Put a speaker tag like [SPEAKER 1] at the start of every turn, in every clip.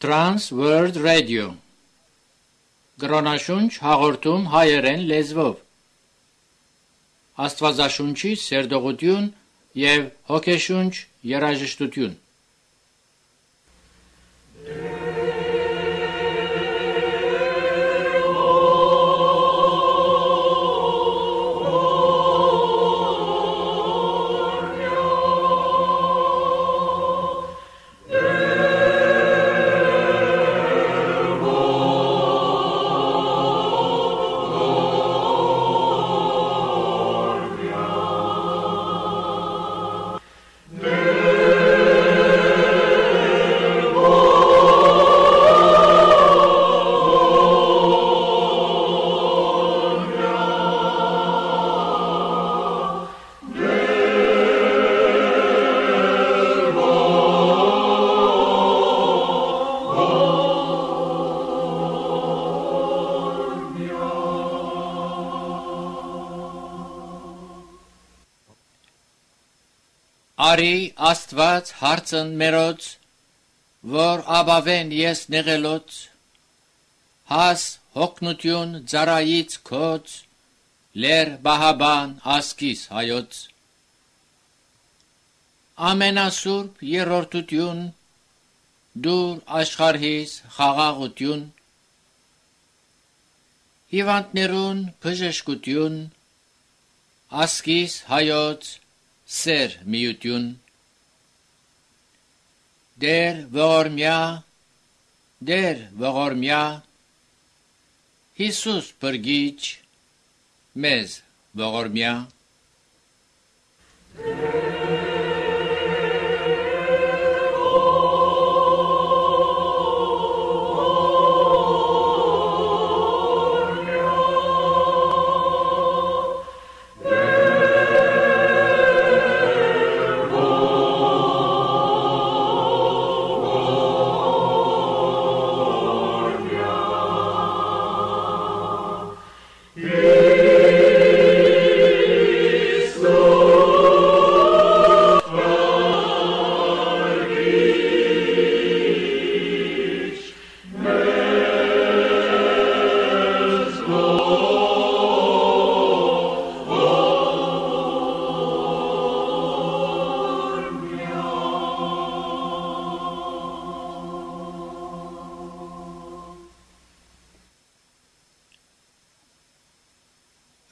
[SPEAKER 1] Trans World Radio Գրոնաշունչ հաղորդում հայերեն լեզվով Աստվածաշունչի սերտողություն և հոգեշունչ երաժշտություն Արի Աստված հարցն մերոց, որ աբավեն ես նեղելոց, հաս հոգնություն ձարայից քոց, լեր բահաբան ասկիս հայոց։ Ամենասուրբ երրորդություն, դուր աշխարհիս խաղաղություն, հիվանդներուն բժշկություն, ասկիս հայոց սեր միություն, դեր ողորմյա, Հիսուս բրգիչ, մեզ ողորմյա։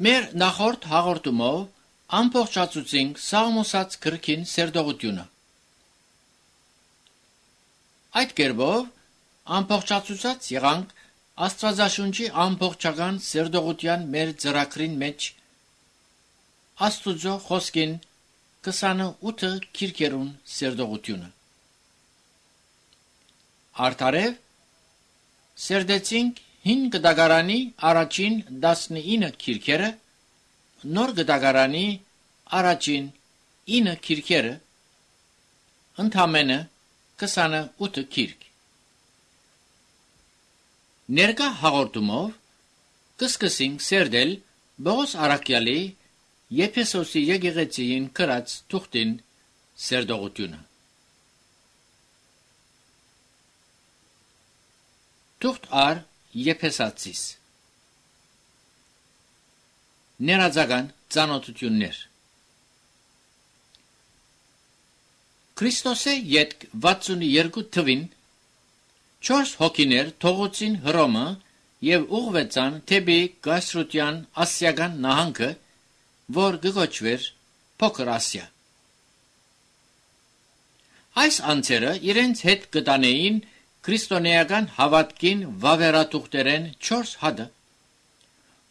[SPEAKER 1] Մեր նախորդ հաղորդումով ամբողջացուցինք Սաղմոսած գրքին սերտողությունը։ Այդ կերպով ամբողջացուցած եղանք Աստվածաշունչի ամբողջական սերտողության մեր ծրագրին մեջ Աստուծո խոսքին 28 քիրքերուն սերտողությունը։ Արդարև սերտեցինք 5 գդագարանի առաջին 19 քիրքերը, նոր գդագարանի առաջին 9 քիրքերը, ընդամենը 28 քիրք։ Ներկա հաղորդումով կսկսենք սերտել Պողոս առաքյալի Եփեսոսի եկեղեցիին գրած թուղթին սերտողությունը։ Թուղթ առ Եփեսացիս Ներածական ծանոթություններ Քրիստոսի ետք 62 թվին 4 հոգիներ թողոցին Հռոմը և ուղղվեցան թեպի Կայսրության ասիական նահանգը, որ կոչվեր Փոքր Ասիա։ Այս անձերը իրենց հետ կտանեին քրիստոնեական հավատքին վավերաթուղթերեն 4 հատը,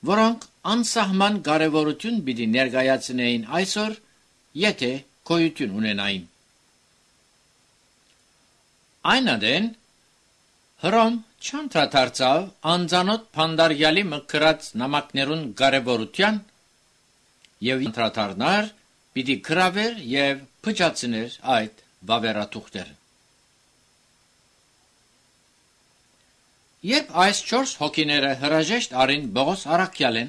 [SPEAKER 1] որոնք անսահման կարևորություն պիտի ներկայացնեին այսօր, եթե գոյություն ունենային։ Այն ադեն Հռոմ չանդրադարձավ անծանոթ փանդարյալի մկրած նամակներուն կարևորության և անդրադառնար պիտի գրավեր և փչացներ այդ վավերաթուղթերը։ Երբ այս 4 հոգիները հրաժեշտ արին Պողոս առաքյալեն,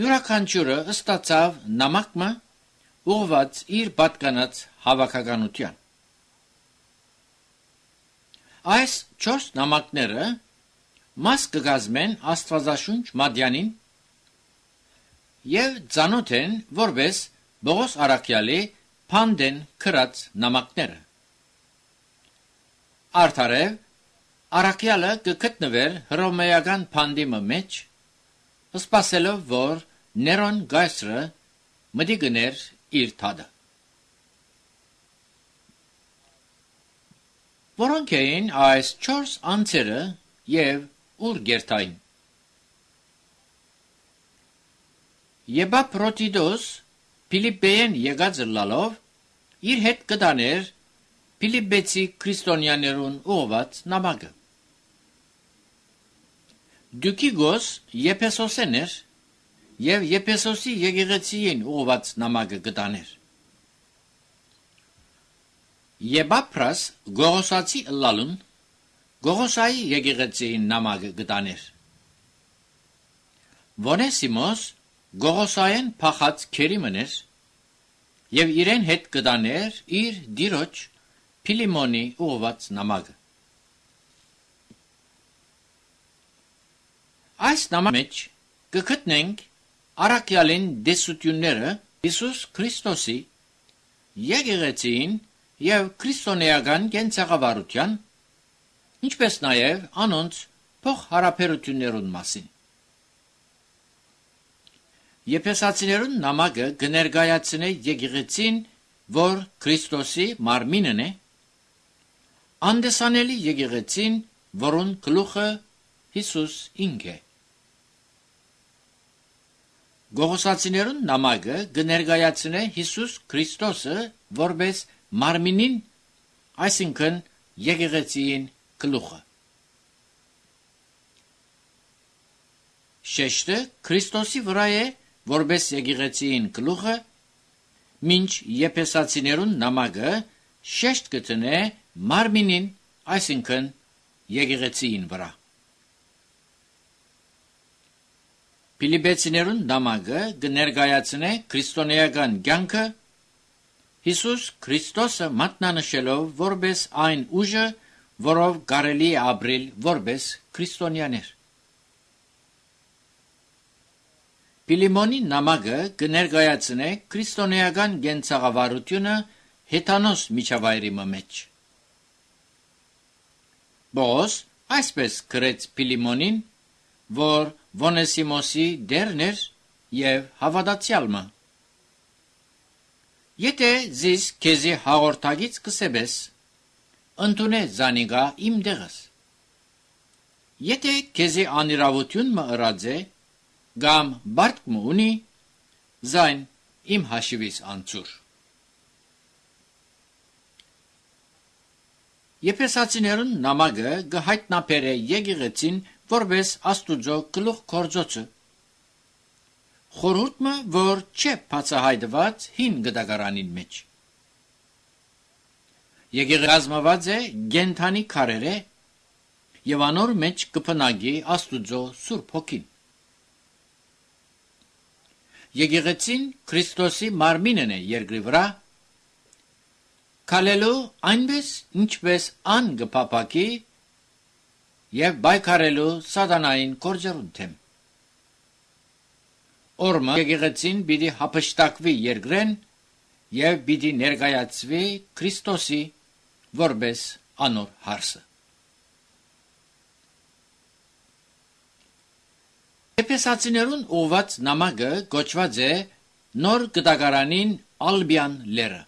[SPEAKER 1] յուրաքանչյուրը ստացավ նամակը ուղղված իր պատկանած հավաքականության։ Այս 4 նամակները մաս կգազմեն Աստվածաշունչ Մատյանին եւ ծանոթ են որպես Պողոս Արաքյալի փանդեն քրած նամակները։ Արդարև Արաքյալը կգտնվեր հռոմեական փանդի մեջ, սպասելով որ Ներոն Գայսրը մտի գներ իր թադը։ Որոնք էին այս 4 անձերը եւ ուր գերտային։ Եբապրոտիդոս Փիլիպպեեն եկած լալով իր հետ կդաներ Փիլիպպեցի քրիստոնյաներուն ուղված նամակը։ Դուկիգոս Եփեսոսեն էր եւ Եփեսոսի եկեղեցիին ուղված նամակը կդաներ։ Եբապրաս Գողոսացի լալուն Գողոսայի եկեղեցիին նամակը կդաներ։ Վոնեսիմոս Գողոսայեն փախած քերի մներ եւ իրեն հետ կդաներ իր դիրոջ Փիլիմոնի ուղված նամակը։ Այս նամակի մեջ կգտնենք Արաքյալին դեսությունները Հիսուս Քրիստոսի եկեղեցին եւ քրիստոնեական կենցաղավարության, ինչպես նաեւ անոնց փոխհարաբերություններուն մասին։ Եփեսացիներուն նամակը կներկայացնե եկեղեցին, որ Քրիստոսի մարմինն է, անդեսանելի եկեղեցին, որուն գլուխը Հիսուս ինք է։ Գողոսացիներուն նամակը կներկայացնե Հիսուս Քրիստոսը որպես մարմինին, այսինքն եկեղեցիին գլուխը։ Շեշտը Քրիստոսի վրա է որպես եկեղեցիին գլուխը, մինչ Եփեսացիներուն նամակը շեշտ կտնե մարմինին, այսինքն եկեղեցիին վրա։ Փիլիպպեցիներուն նամակը կներկայացնե քրիստոնեական կյանքը Հիսուս Քրիստոսը մատնանշելով որպես այն ուժը, որով կարելի է ապրել որպես քրիստոնյաներ։ Փիլիմոնի նամակը կներկայացնե քրիստոնեական կենցաղավարությունը հեթանոս միջավայրի մեջ։ Պողոս այսպես գրեց Փիլիմոնին, որ Վոնեսիմոսի դերն էր եւ հավատացյալը։ Եթե զիս քեզի հաղորդագից կսեբես, ընդունե զանիգա իմ դեղս։ Եթե քեզի անիրավություն մը ըրած է, գամ բարդ մը ունի, զայն իմ հաշիվիս անցուր։ Եփեսացիներուն նամակը գհայտնաբերե եկեղեցին որպես Աստուծո գլուխ գործոցը։ Խորհուրդը, որ չէ բացահայտված հին գդագարանին մեջ։ Եկեղեցին է գենթանի քարերը եւ անոր մեջ կփնագի Աստուծո Սուրբ Հոգին։ Եկեղեցին Քրիստոսի մարմինն է երկրի վրա, քալելու այնպես ինչպես ան գփապակի եւ բայկարելու սատանային գործերուն թեմ։ Օրմը եկեղեցին պիտի հափշտակվի երկրեն եւ պիտի ներկայացվի Քրիստոսի որպես անոր հարսը։ Եփեսացիներուն ուղված նամակը գոչված է նոր գդագարանին Ալբյան լերը։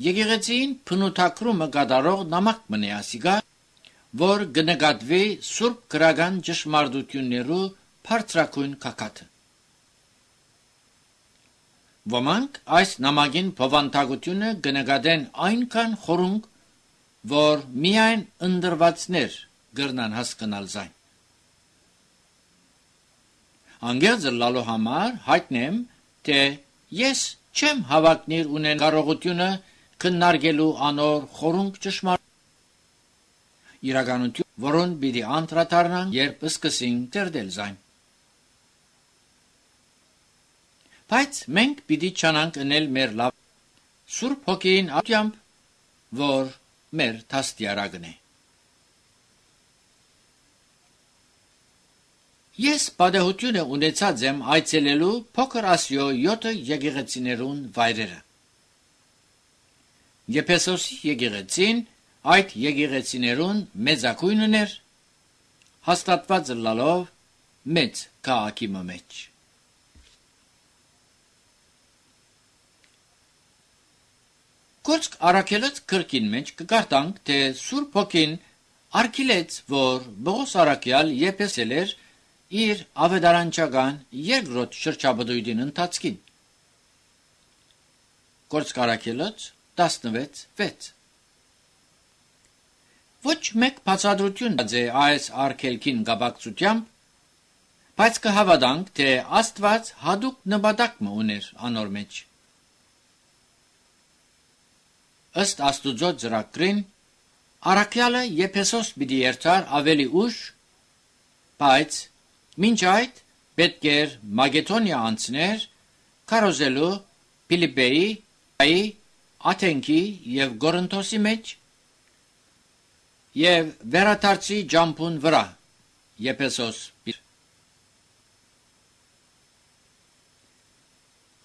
[SPEAKER 1] Եկեղեցին փնութակրումը կատարող նամակ մնե ասիգա, որ կնկատվի սուրբ գրական ճշմարտություններու բարձրակույն կակաթը։ Ոմանք այս նամակին բովանդակությունը կնկատեն այնքան խորունկ, որ միայն ընդրվածներ կրնան հասկանալ զայն։ Անգերձ լալու համար հայտնեմ, թե ես չեմ հավակնիր ունեն կարողությունը քննարկելու անոր խորունկ ճշմարտ իրականություն, որոն պիտի անդրադառնան, երբ սկսենք դերդել զայն։ Բայց մենք պիտի չանանք ընել մեր լավ Սուրբ Հոգին ատյամբ, որ մեր թաստիարակն է։ Ես պատահությունը ունեցած եմ այցելելու Փոքր Ասիո 7 եկեղեցիներուն վայրերը։ Եփեսոսի եկեղեցին այդ եկեղեցիներուն մեծակույնն էր, հաստատված լալով մեծ քաղաքի մեջ։ Գործք Առաքելոց գրքին մեջ կկարդանք, թե Սուրբ Հոգին արգելեց, որ Պողոս առաքյալ Եփեսել էր իր ավետարանչական երկրորդ շրջաբդույթին ընթացքին։ Գործք Առաքելոց 16:6 Ոչ մեկ բացատրություն է այս արգելքին կապակցությամբ, բայց կհավատանք, թե Աստված հատուկ նպատակ ուներ անոր մեջ։ Ըստ Աստուծո ծրագրին, առաքյալը Եփեսոս պիտի երթար ավելի ուշ, բայց մինչ այդ պետք էր Մակեդոնիա անցներ, քարոզելու Փիլիպպեի, Աթենքի և Կորինթոսի մեջ և վերադարձի ջամփուն վրա Եփեսոս։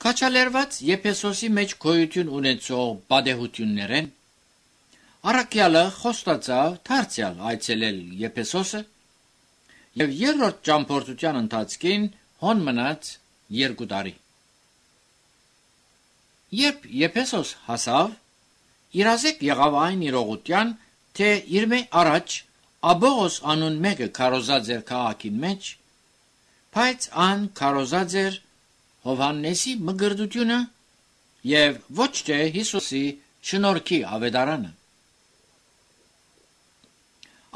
[SPEAKER 1] Քաջալերված Եփեսոսի մեջ գոյություն ունեցող պատահություններեն առաքյալը խոստացավ դարձյալ այցելել Եփեսոսը և երրորդ ճամփորդության ընթացքին հոն մնաց 2 տարի։ Երբ Եփեսոս հասավ, իրազեկ եղավ այն իրողության, թե իր մե առաջ Աբողոս անուն մեկը քարոզած էր քաղաքին մեջ, բայց ան քարոզած էր Հովհաննեսի մգրդությունը և ոչ թե Հիսուսի շնորհքի ավետարանը։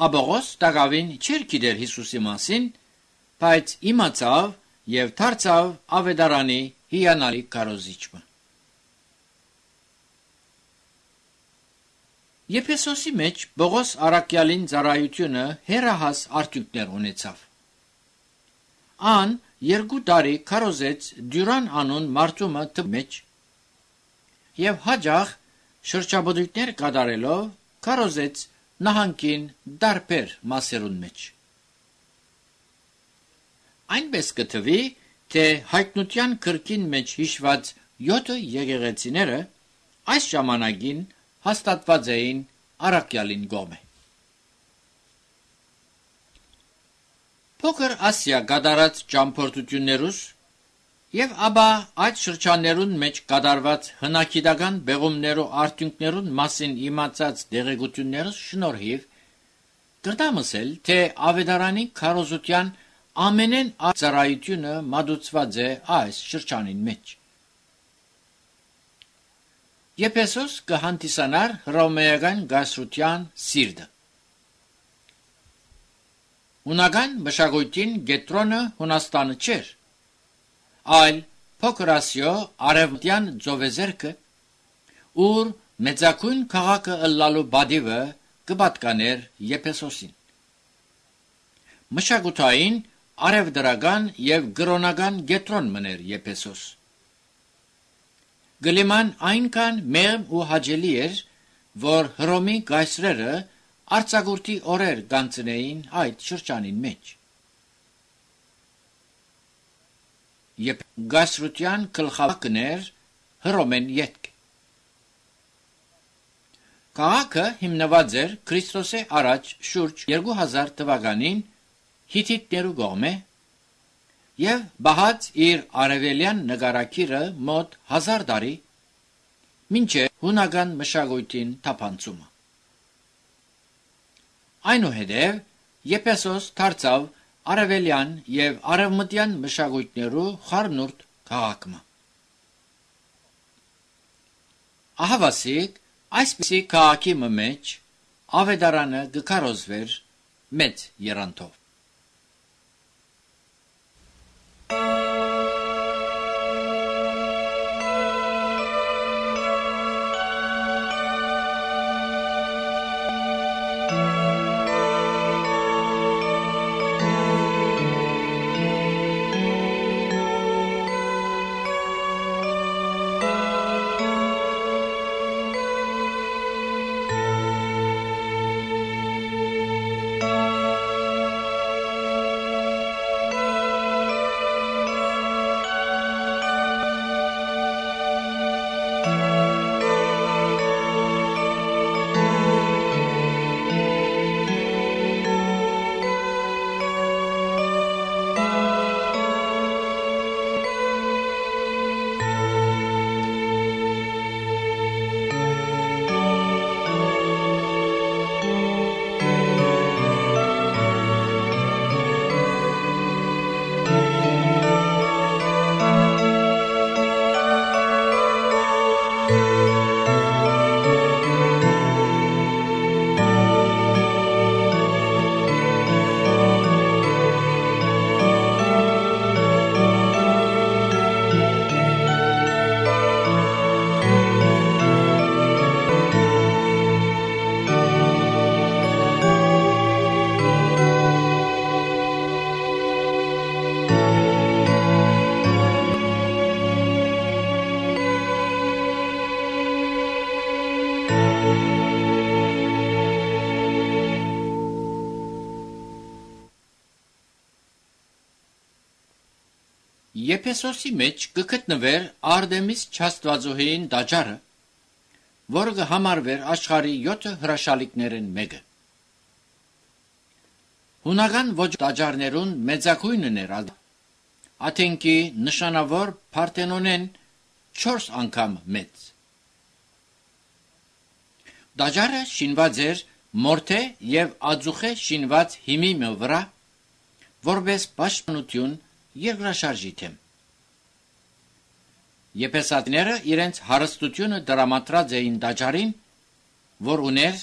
[SPEAKER 1] Աբողոս տակավին չէր գիտեր Հիսուսի մասին, բայց իմացավ և դարձավ ավետարանի հիանալի քարոզիչը։ Եփեսոսի մեջ Պողոս առաքյալին ծառայությունը հեռահաս արդյունքներ ունեցավ։ Ան 2 տարի քարոզեց Դյուրան անուն մարդու մեջ և հաջող շրջաբդույթներ կատարելով քարոզեց նահանգին դարբեր մասերուն մեջ։ Այնպես կթվի, թե հայտնության գրքին մեջ հիշված 7 եկեղեցիները այս ժամանակին հաստատված էին առաքյալին կողմէ։ Փոքր Ասիա կատարած ճամփորդություններուս և ապա այդ շրջաններուն մեջ կատարված հնագիտական բեղումներու արդյունքներուն մասին իմացած դեղեցություններս շնորհիվ կրտամսել, թե ավետարանի քարոզության ամենեն ծառայությունը մատուցված է այս շրջանին մեջ։ Եփեսոս կհանդիսանար հռոմեական գայսրության սիրտը։ Հունական մշակույթին կենտրոնը Հունաստանը չէր, այլ Փոքր Ասիո արևմտյան ծովեզերքը, ուր մեծակույն քաղաքը ըլլալու բադիվը կպատկաներ Եփեսոսին։ Մշակութային, արևդրական և կրոնական կենտրոն մներ Եփեսոս։ Գլիման այնքան մեղմ ու հաճելի էր, որ Հռոմի կայսրերը արձակուրդի օրեր կանցնեին այդ շրջանին մեջ։ Գայսրության գլխավորն էր Հռոմեն ետք։ Քաղաքը հիմնված էր Քրիստոսի առաջ շուրջ 2000 թվականին հիթիտներու կողմէ և բահած իր արևելյան նկարագիրը մոտ 1000 տարի, մինչև հունական մշակույթին թափանցումը։ Այնուհետև Եփեսոս դարձավ արևելյան և արևմտյան մշակույթներու խառնուրդ քաղաքը։ Ահավասիկ այսպիսի քաղաքի մեջ ավետարանը կքարոզվեր մեծ եռանդով։ Եփեսոսի մեջ կգտնվեր Արտեմիս Չաստվածուհին տաճարը, որը կհամարվեր աշխարհի 7 հրաշալիքներն մեկը։ Հունական ոչ տաճարներուն մեծակույնն էր Աթենքի նշանավոր Փարթենոնեն 4 անգամ մեծ։ Տաճարը շինված էր մորթե եւ ածուխե շինված հիմի վրա, որպես պաշտպանություն երկրաշարժի թեմ։ Եփեսացիները իրենց հարստությունը դրամատրած էին տաճարին, որ ուներ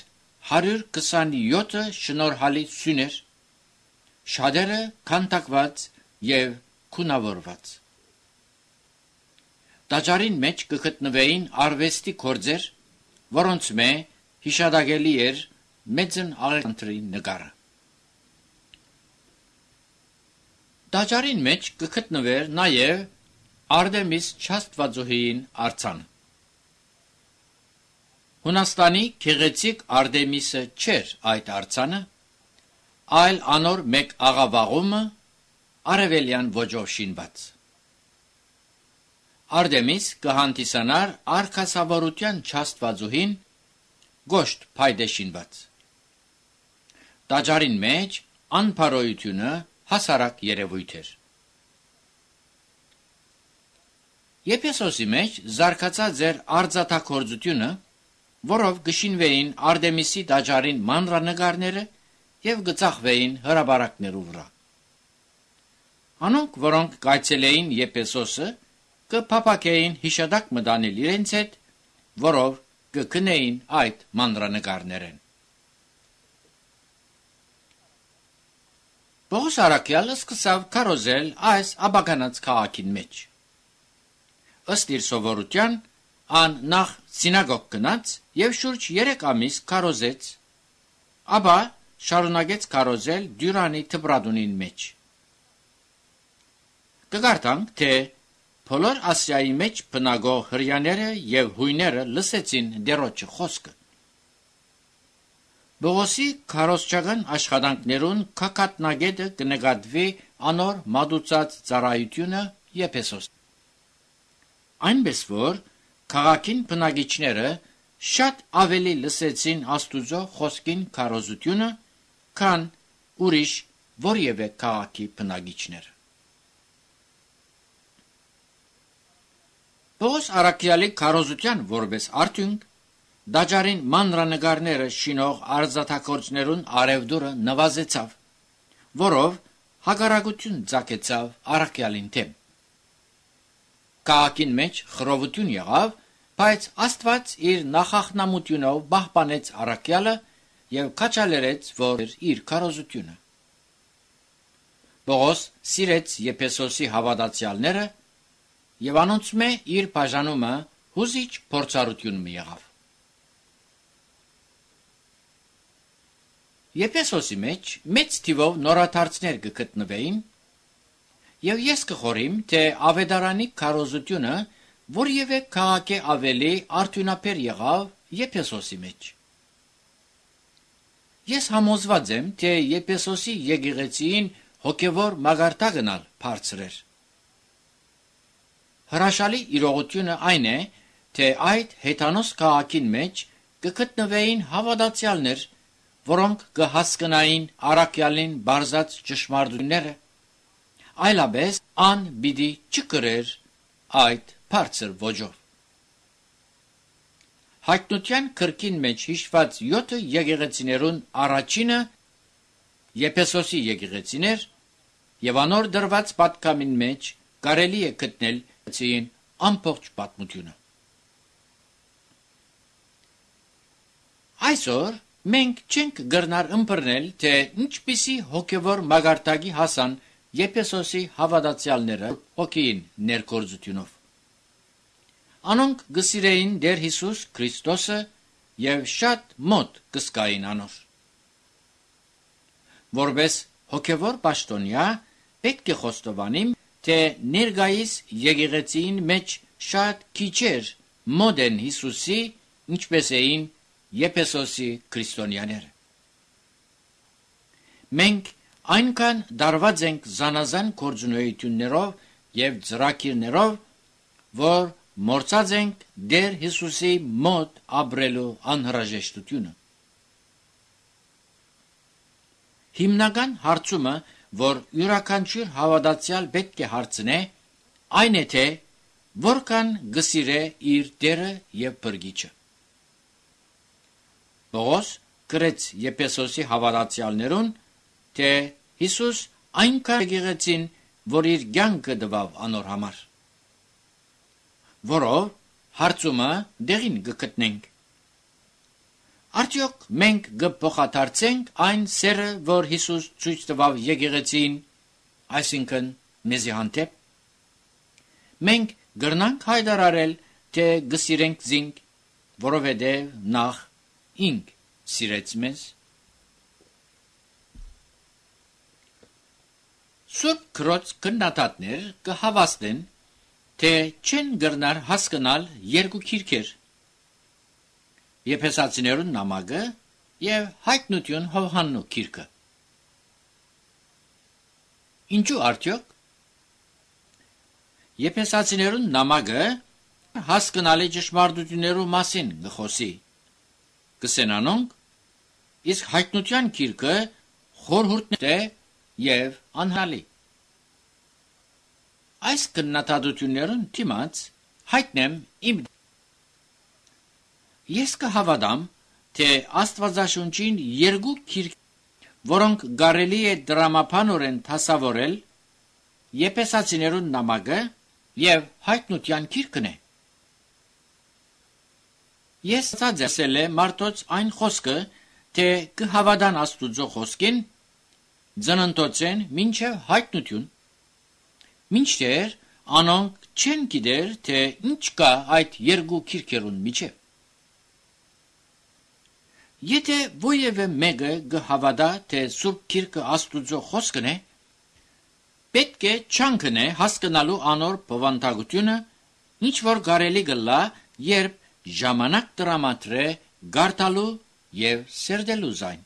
[SPEAKER 1] 127 շնորհալի սյուներ, շատերը քանդակված եւ քունավորված։ Տաճարին մեջ կգտնվեին արվեստի գործեր, որոնց մե հիշադակելի էր մեծն Ալեքսանդրի նկարը։ Տաճարին մեջ կգտնվեր նաև Արտեմիս Չաստվածուհին արձանը։ Հունաստանի գեղեցիկ Արտեմիսը չէր այդ արձանը, այլ անոր մեկ աղավաղումը արևելյան ոճով շինված։ Արտեմիս կհանդիսանար արքասավորության Չաստվածուհին գոշտ փայտե շինված։ Տաճարին մեջ անփարոյությունը հասարակ երևույթ էր։ Եփեսոսի մեջ զարգացած էր արձատագործությունը, որով գշինվեին Արտեմիսի տաճարին մանրանկարները եւ գծախվեին հրաբարակներու վրա։ Անոնք, որոնք կայցելեին Եփեսոսը, կփապակեին հիշադակ մտանել իրենց հետ, որով կգնեին այդ մանրանկարներեն։ Պողոս առաքյալը սկսավ քարոզել այս աբականած քաղաքին մեջ։ Ըստ իր սովորության, ան նախ սինագոգ գնաց եւ շուրջ 3 ամիս քարոզեց, ապա շարունակեց քարոզել Դյուրանի թբրադունին մեջ։ Կգարտանք, թե բոլոր Ասիայի մեջ բնակող հրեաները եւ հույները լսեցին դերոջը խոսքը։ Պողոսի քարոզչական աշխատանքներուն քակատնագետը կնկատվի անոր մատուցած ծառայությունը Եփեսոս։ Այնպես որ քաղաքին բնակիչները շատ ավելի լսեցին Աստուծո խոսքին քարոզությունը, քան ուրիշ որևէ քաղաքի բնակիչները։ Պողոս առաքյալի քարոզության որպես արդյունք տաճարին մանրանկարները շինող արձատագործներուն արևդուրը նվազեցավ, որով հակառակություն ծագեցավ առաքյալին թեմ։ Քաղաքին մեջ խռովություն եղավ, բայց Աստված իր նախախնամությունով պահպանեց առաքյալը եւ քաջալերեց որ իր քարոզությունը։ Պողոս սիրեց Եփեսոսի հավատացյալները եւ անոնց մե իր բաժանումը հուզիչ փորձառություն եղավ։ Եփեսոսի մեջ մեծ թիվով նորաթարցներ կգտնվեին, եւ ես կխորիմ, թե ավետարանի քարոզությունը որևէ քաղաքի ավելի արդյունաբեր եղավ Եփեսոսի մեջ։ Ես համոզված եմ, թե Եփեսոսի եկեղեցին հոգևոր մագարտակն ալ բարձր էր։ Հրաշալի իրողությունը այն է, թե այդ հեթանոս քաղաքին մեջ կգտնվեին հավատացյալներ, որոնք կհասկնային առաքյալին բարձած ճշմարտությունները, այլապես ան պիտի չկրեր այդ բարձր ոճով։ Հայտնության քրքին մեջ հիշված 7 եկեղեցիներուն առաջինը Եփեսոսի եկեղեցին էր, եւ անոր դրված պատկամին մեջ կարելի է գտնել ցին ամբողջ պատմությունը։ Այսօր մենք չենք գրնար ըմբռնել, թե ինչպիսի հոգևոր մագարտակի հասան Եփեսոսի հավատացյալները հոգին ներկործությունով։ Անոնք գսիրեին Տեր Հիսուս Քրիստոսը եւ շատ մոտ կսկային անոր։ Որպես հոգևոր պաշտոնյա պետք է խոստովանիմ, թե ներկայիս եկեղեցին մեջ շատ քիչեր մոտ են Հիսուսի, ինչպես էին Եփեսոսի քրիստոնյաները։ Մենք այնքան դարված ենք զանազան գործունեություններով և ծրագիրներով, որ մոռացած ենք Տեր Հիսուսի մոտ ապրելու անհրաժեշտությունը։ Հիմնական հարցումը, որ յուրաքանչյուր հավատացյալ պետք է հարցնե, այն է թե որքան գսիրե իր Տերը և Փրկիչը։ Պողոս գրեց Եփեսոսի հավատացյալներուն, թե Հիսուս այնքան եկեղեցին, որ իր կյանքը տվավ անոր համար, որով հարցումը դեղին կգտնենք։ Արդյոք մենք կփոխադարձենք այն սերը, որ Հիսուս ցույց տվավ եկեղեցին, այսինքն մեզի հանդեպ։ Մենք կրնանք հայտարարել, թե կսիրենք զինք, որովհետև նախ ինք սիրեց մեզ։ Սուրբ Քրոց քննադատներ կհավաստեն, թե չեն կրնար հասկանալ երկու քիրքեր՝ Եփեսացիներուն նամակը և Հայտնություն Հովհաննու քիրքը։ Ինչու արդյոք։ Եփեսացիներուն նամակը հասկանալի ճշմարտություններու մասին գխոսի, կսենանոնք, իսկ Հայտնության քիրքը խորհուրդ է և անհալի։ Այս քննադատություններուն դիմաց հայտնեմ իմ։ Ես կհավատամ, թե Աստվածաշունչին երկու քիրք, որոնք կարելի է դրամապանորեն դասավորել, Եփեսացիներուն նամակը և Հայտնության քիրքն է։ Ես ցածել է մարդոց այն խոսքը, թե կհավատան Աստուծո խոսքին, ծննդոցեն մինչև Հայտնություն, մինչդեռ անոնք չեն գիտեր, թե ինչ կա այդ երկու քիրքերուն միջև։ Եթե ոևէ մեկը կհավատա, թե Սուրբ Քիրքը Աստուծո խոսքն է, պետք է չանքնե հասկանալու անոր բովանդակությունը, ինչ որ կարելի կլա, երբ ժամանակ տրամադրե գարտալու և սերդելու զայն։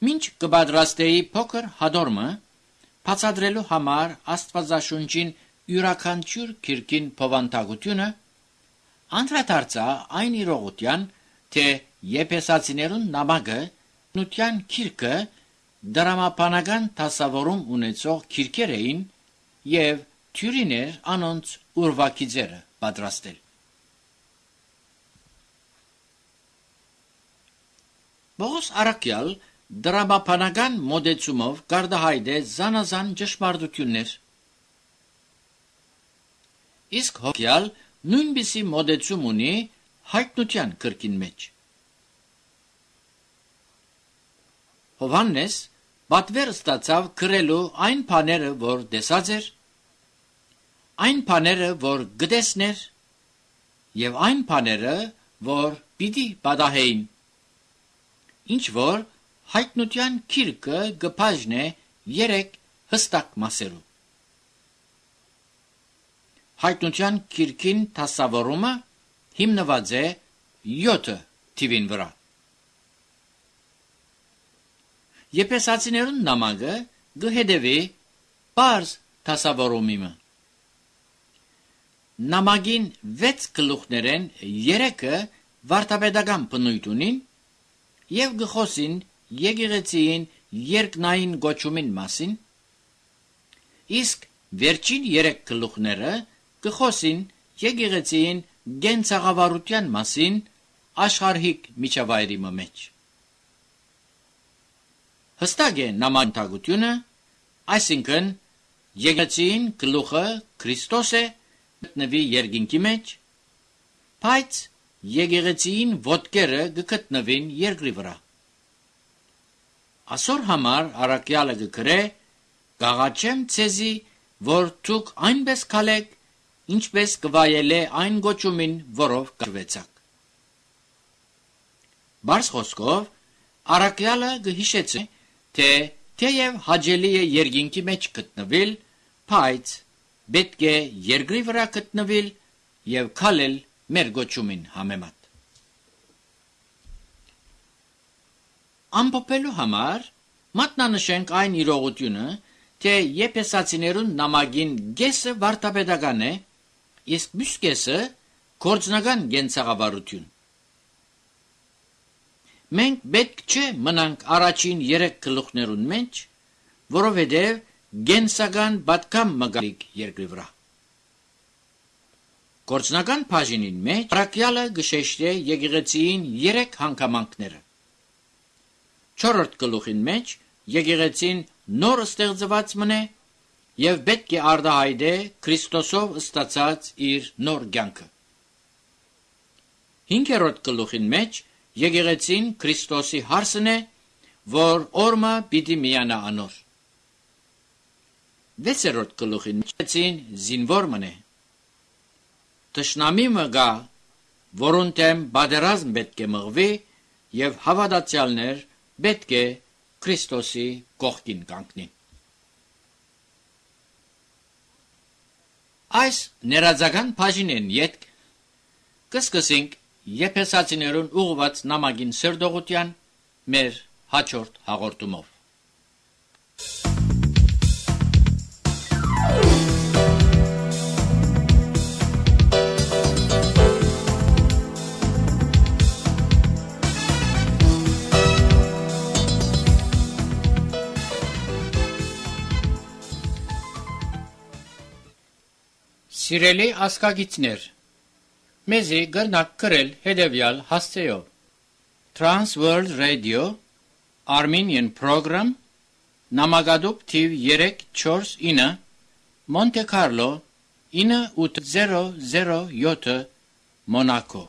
[SPEAKER 1] Մինչ կպատրաստեի փոքր հադորմը, բացատրելու համար Աստվածաշունչին յուրաքանչյուր քիրքին բովանդակությունը, անդրադարձա այն իրողության, թե Եփեսացիներուն նամակը Հայտնության քիրքը դրամապանական դասավորում ունեցող քիրքեր էին և թյուրին էր անոնց ուրվագիծերը պատրաստել։ Պողոս առաքյալ դրամապանական մոդեցումով կարգահայտե զանազան ճշմարտություններ, իսկ հոգյալ նույնպիսի մոդեցում ունի Հայտնության քրքին մեջ։ Հովհաննես պատվեր ստացավ գրելու այն բաները, որ տեսած էր, այն բաները, որ գտեսներ, և այն բաները, որ պիտի պատահեին, ինչ որ Հայտնության քիրքը կբաժնե 3 հստակ մասերու։ Հայտնության քիրքին դասավորումը հիմնված է 7 թիվին վրա։ Եփեսացիներուն նամակը կհետևի պարզ դասավորումիմը։ Նամակին 6 գլուխներեն 3-ը վարդապետական բնույթ ունին և գխոսին եկեղեցիին երկնային գոչումին մասին, իսկ վերջին 3 գլուխները գխոսին եկեղեցիին գենցաղավարության մասին աշխարհիկ միջավայրի մեջ։ Հստակ է նամակագությունը, այսինքն եկեղեցին գլուխը Քրիստոս է, գտնվի երկինքի մեջ, բայց եկեղեցին ոտքերը գտնվին երկրի վրա։ Այսօր համար առաքյալը կգրե. «Կաղաչեմ ցեզի, որ դուք այնպես քալեք, ինչպես կվայելե այն գոչումին, որով կրվեցաք»։ Բարձ խոսքով առաքյալը կհիշեցնի, թե թեև հաճելի է երկինքի մեջ գտնվել, բայց պետք է երկրի վրա գտնվել և քալել մեր գոչումին համեմատ։ Ամփոփելու համար մատնանշենք այն իրողությունը, թե եփեսացիներուն նամակին գեսը վարտապետական է, իսկ մյուս կեսը գործնական գենցաղավարություն։ Մենք պետք չէ մնանք առաջին 3 գլուխներուն մեջ, որովհետև գենսական պատկամ մգալիք երկրի վրա։ Գործնական բաժինին մեջ Պարակյալը գշեշտե եկեղեցիին 3 հանգամանքները։ 4-րդ գլուխին մեջ եկեղեցին նոր ստեղծված մնե եւ պետք է արտահայտե Քրիստոսով ստացած իր նոր կյանքը։ 5-րդ գլուխին մեջ եկեղեցին Քրիստոսի հարսն է, որ օրմը պիտի միանա անոր։ 6-րդ գլուխին մեջ եկեղեցին զինվոր մնե։ Տշնամի մգա, որուն դեմ բادرազմ պետք է մղվի եւ հավատացյալներ պետք է Քրիստոսի կողքին կանգնին։ Այս ներածական բաժինեն յետք կսկսենք Եփեսացիներուն ուղված նամակին սրդողության մեր հաջորդ հաղորդումով։ Սիրելի ասկագիցներ, մեզի գնաք կրել հետևյալ հասցեով. Trans World Radio, Armenian Program, նամակադուպ թիվ 349, Monte Carlo, 9807, Monaco։